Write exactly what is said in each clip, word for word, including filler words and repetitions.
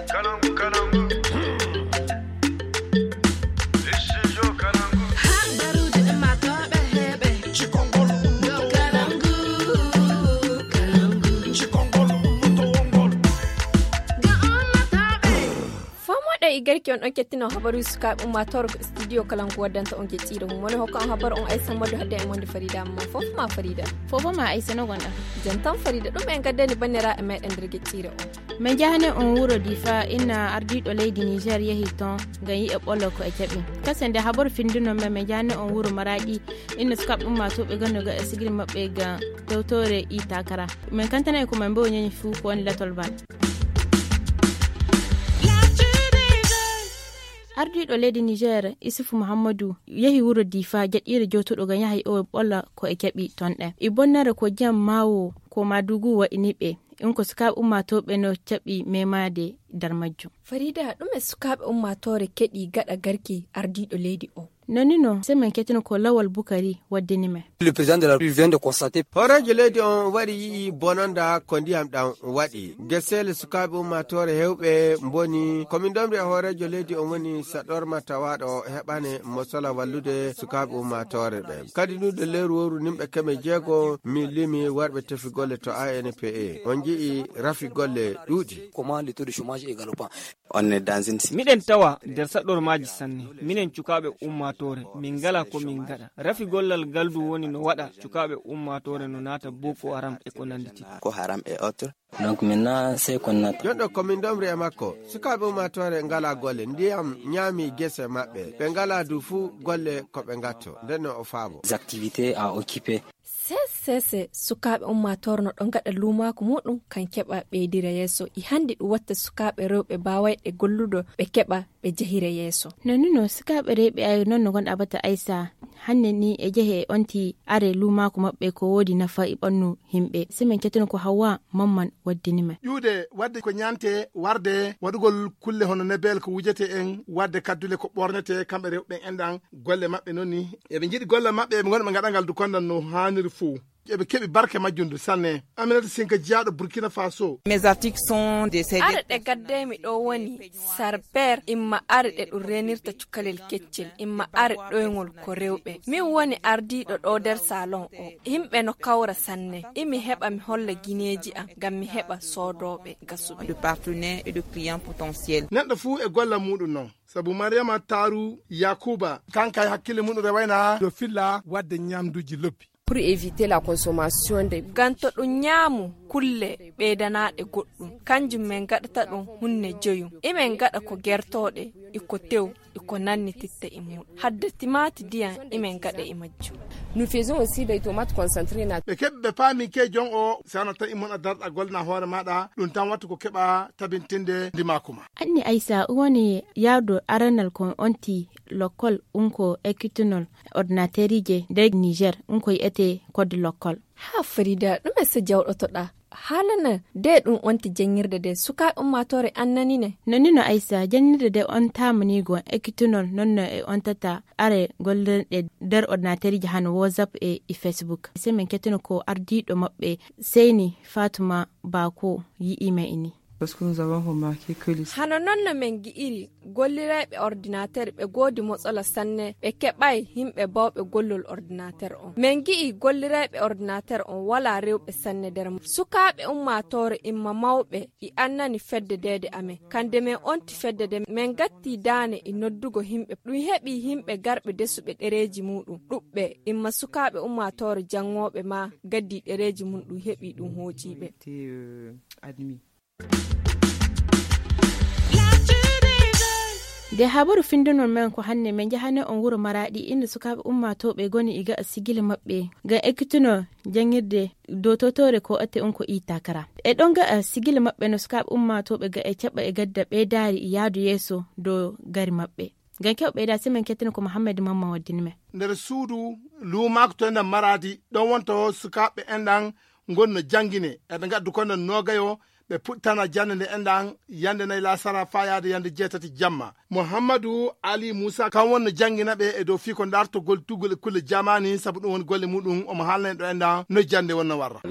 Fomoɗo e garki on ɗon kettino habaru sukaaɓe ummaatoore ko studio kala ngu waddanta on geƴƴiire mum woni hokka on habaru on aysa moddo hadde e monde farida mo fof ma farida. Fof ma aysa no gonɗa? Jantan farida ɗum en gaddani bannira e meɗen nder geƴƴiire on. Min njahani on wuro difa inna ardiiɗo leydi niger yehi ton ngam yi'e ɓolo ko e jaɓi. Kase nde habaru finduno men min njahani on wuro maraɗi inna sukaaɓe ummaatoɓe ganno ga e sigiri maɓɓe ga tewtore i takara. Min kantana e ko min mbo ñañi fuu ko woni latol bal. Ardiiɗo leydi niger isufu muhammadu yehi wuro difa jaɗɗiire jootuɗo ga yahay o ɓolla ko e jaɓi ton ɗen i bonnere ko jam mawo ko madugu waɗini ɓe. Ɗum ko sukaaɓe ummaatooɓe no jaɓi memaade nder majjum. Farida, ɗum e sukaaɓe ummaatoore keɗi gaɗa garki ardiiɗo leydi o? Nonino semen ketino ko lawal bukari waddini men. Le président de la République vient de constater. Hooreejo leydi on wari yi'i bononda ko ndiyam ɗam waɗi. Gesele sukaaɓe ummaatoore hewɓe mboni. Ko min domri e hooreejo leydi on woni saɗorma tawaaɗo heɓane mo sola wallude sukaaɓe ummaatoore ɓe. Kadi nduɗo lewru wowru nimɓe keme jeego mi limi warɓe tefi golle to A N P A. On nji'i rafi golle ɗuuɗi. Comment le taux de chômage est galopant. On est dans une miɗen tawa nder saɗɗormaaji sanne. Minen cukaaɓe ummaatoore min ngala ko min ngaɗa. Rafi gollal ngal du woni no waɗa cukaaɓe ummaatoore no naata boko haram e ko nannditi. Ko haram e autre. Donc maintenant c'est qu'on attend. Jonɗo ko min domri e makko. Sukaaɓe ummaatoore ngala golle ndiyam ñaami gese maɓɓe ɓe ngala du fuu golle ko ɓe ngatto ndenno o faabo. Activités à occuper. Sese sukaaɓe ummaatoore no ɗo ngaɗa luumaaku muɗum kan keɓa ɓeydira yeeso i hannde ɗum watta sukaaɓe rewɓe baawayɓe gollude ɓe keɓa ɓe jehira yeeso. No nuno sukaaɓe rewɓe ay non no ngonɗa bata aysa hannde ni e jehe e onti are luumaaku maɓɓe ko woodi nafa e ɓannu himɓe semen ketino ko hawa mamman waddini men. Ƴuude waɗde ko ñaante warde waɗugol kulle hono nebel ko wujete en waɗde kaddule ko ɓornete kamɓe rewɓe en enɗan golle maɓɓe noon ni eɓe njiɗi golle maɓɓe eɓe ngoni ɓe ngaɗa ngal dukondan no haaniri fof. Eɓe keɓi barke majjum du sanne. Aminata Sinka jiyaaɗo Burkina Faso. Mes articles sont des are ɗe gaddeymi ɗo woni sarber imma are ɗe ɗum renirta cukalel keccel imma are ɗoyngol ko rewɓe min woni ardiiɗo ɗo nder salon o. Yimɓe no kawra sanne imi heɓa mi holla gineeji am ngam mi heɓa soodooɓe gasuɓe. De partenaires et de clients potentiels. Neɗɗo fuu e golla muɗum noon. Sabu Mariama Taru Yakuba kanka e hakkille muɗum rewayna yo filla waɗde ñamduuji lobbi. Pour éviter la consommation de ganto ɗum ñaamu kulle ɓeydanaɗe goɗɗum kanjum min gaɗata ɗum hunne joyum imin gaɗa ko gertoɗe iko tew iko nanni titta immuɗo hadde timaati ndiyam imin gaɗa e majjum. Nous faisons aussi des tomates concentrées na. Ɓe keɓi ɓe paami ke jon o sana tawi mon a darɗa golna hoore maɗa ɗum tan wattu ko keɓa tabintinde ndimaku ma. Anni aysa woni yardo aranal kon onti lokkol unko ekkitunol ordinateerije nder niger unko yi'ete kodde lokkol. Haa farida ɗume so jawɗotoɗaa haalana de ɗum onti janngirde de sukaaɓe ummaatoore annani ne. No nino aysa janngirde de on taamaniigo ekkitunol nonno e on tata are gollirɗe nder ordinateerije hano whatsapp e e facebook se min kettino ko ardiiɗo maɓɓe seyni fatuma bako yi'ima ini. Hano noon no min ngi'iri gollirayɓe ordinateer ɓe goodi motsola sanne ɓe keɓay yimɓe bawɓe gollol ordinateer on min ngi'i gollirayɓe ordinateer on walaa rewɓe sanne nder mum sukaaɓe ummaatoore imma mawɓe i annani fedde deede amen kande min onti fedde de min ngatti daane e noddugo yimɓe ɗum heɓi yimɓe garɓe desuɓe ɗereeji muɗum ɗuɓɓe imma sukaaɓe ummaatoore janngooɓe ma gaddi ɗereeji mum ɗum heɓi ɗum hooƴiɓe. Nde habaru findunol men ko hannde min njahane on wuro maraɗi inda sukaaɓe ummaatooɓe goni e ga'a sigila maɓɓe ngam ekkitunoo janngirde dow totore ko atte on ko i takara e ɗon ga'a sigila maɓɓe no sukaaɓe ummaatooɓe ga e caɓa e gadda ɓeydaari e yahdu yeeso dow gari maɓɓe. Ngam kew ɓeyda semen kettino ko mohammed mamma waddini men. Nder suudu luumaako to nder maraadi ɗon wonto sukaaɓe enɗan ngonno janngine eɓe ngaddu kono noogayo Ɓe puɗtana jannde nde enɗan yannde nay laasara faa yaade yannde jeetati jamma. Muhammadu Ali Muusa kan wonno janngina ɓe e dow fii ko ndartogol tuggol e kulle jamaani, sabu ɗum woni golle muɗum. Omo haalna en ɗo enɗan no jannde wonno warra.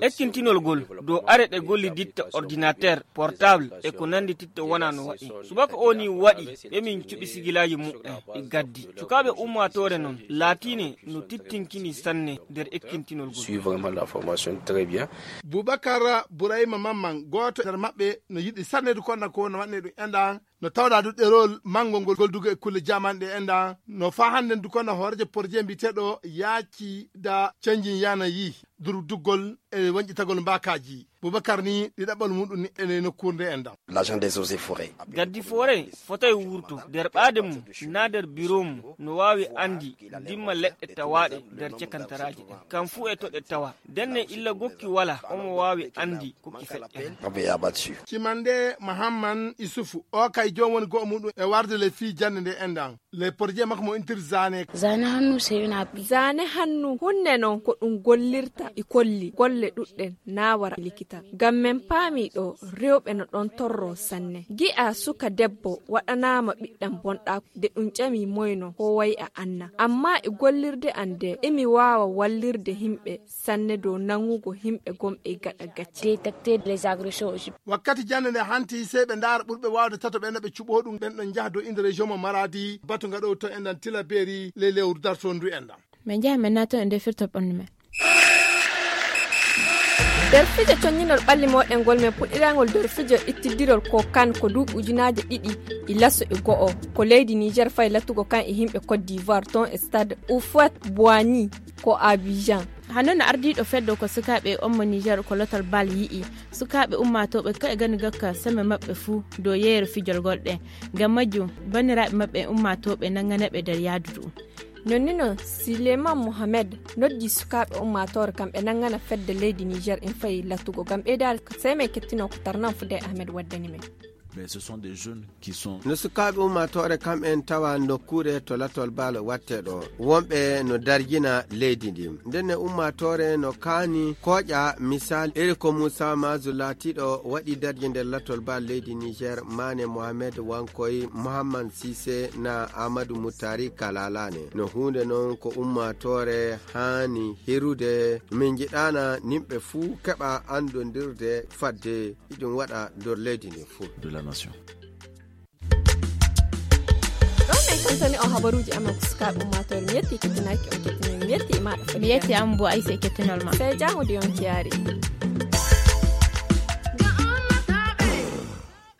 Ekkintinol gol dow are ɗe golliditta ordinateur portable e ko nanndititta wona no waɗi. Subaka o ni waɗi ɓe min cuɓi sigilaaji muɓɓen e gaddi. Sukaaɓe ummaatoore non laatiine no tittinkini sanne nder ekkintinol gol. Suivre vraiment la formation très bien. Bubakar Burayma Mamman, gooto nder maɓɓe, no yiɗi sanne du konna ko no waɗne ɗum enɗan, no tawɗa du ɗerol manngol ngol goldugo e kulle jamanɗe enɗan, no faa hannden du konna hooreejo porje mbiyeteeɗo yaaci da canjin yana yi durduggol e wanƴitagol mbaakaaji. Bubakar ni ɗiɗaɓɓal muɗum ni ene nokkuure nde enɗan. L'agent des eaux et forêts. Gaddi foore fotay wurto nder ɓaade mum, naa nder biro mum, no waawi anndi ndimma leɗɗe tawaaɗe nder cekantaraaji ɗen. Kam fuu e to ɗe tawa. Ndenne illa gokki wala, omo waawi anndi ko ki feƴƴata. Rabbi ya batsu. Cimande Mahamman Isufu, o kay joom woni go'o muɗum e warde le fii jannde nde enɗan. Le porje makko mo intir zane. Zane hannu sey una. Zane hannu hunne non ko ɗum gollirta e kolli golle ɗuɗɗen na wara likita. Ngam men paami ɗo rewɓe no ɗon torro sanne. Gi'a suka debbo waɗanaama ɓiɗɗam bonɗa de ɗum ƴami moyno ko wayi a anna. Amma e gollirde an de emi waawa wallirde himɓe sanne dow nangugo himɓe gomɓe e gaɗa gacce. Détecter les agressions aussi. Wakkati jannde nde hanti sey ɓe ndaara ɓurɓe waawde tato ɓe no ɓe cuɓo ɗum ɓen ɗon njaha dow inde région mo Maradi batu ngaɗo to enɗan Tilaberi le lewru darto ndu enɗan. Min njaha min naata e nder firto ɓandu men. Nder fijo conñinol ɓalli moɗen ngol men puɗɗirangol nder fijo ittidirol ko kan ko duuɓi ujunaaje ɗiɗi e laso e go'o ko leydi Niger fay latugo kan e himɓe Côte d'Ivoire ton e stade Houphouët-Boigny ko Abidjan. Hano no ardiiɗo feddo ko sukaaɓe ommo Niger ko lotol bal yi'i sukaaɓe ummaatooɓe ko e gani gokka semme maɓɓe fuu dow yeeyere fijol gol ɗe. Ngam majjum banniraaɓe maɓɓe ummaatooɓe nanganaɓe nder yaadu ɗum. Nonnino Suleiman Mohamed noddi sukaaɓe ummaatoore kam ɓe nanngana fedde leydi Niger in fayi latugo ngam ɓeydaade ko sey men kettino ko tarnan fude Ahmed waddani men. Mais ce sont des jeunes qui sont. No sukaaɓe ummaatoore kam en tawa nokkuure to latol baalo watte ɗo wonɓe no darjina leydi ndi. Ndenne ummaatoore no kaani kooƴa misal iri ko Moussa Mazou laatiiɗo waɗi darje nder latol baalo leydi Niger, Mane Mohamed Wankoy, Mohammad Sise na Amadou Moutari Kalalane. No huunde noon ko ummaatoore haani hirude. Min njiɗaana nimɓe fuu keɓa anndondirde fadde iɗum waɗa nder leydi ndi fuu. De la nation. Ɗo men kantani on habaruuji amen ko sukaaɓe ummaatoore. Mi yetti kettinaaki on kettinoy. Mi yetti e maaɗa. Mi yetti am bo ayse kettinol ma. Sey jaango de yonki yaari.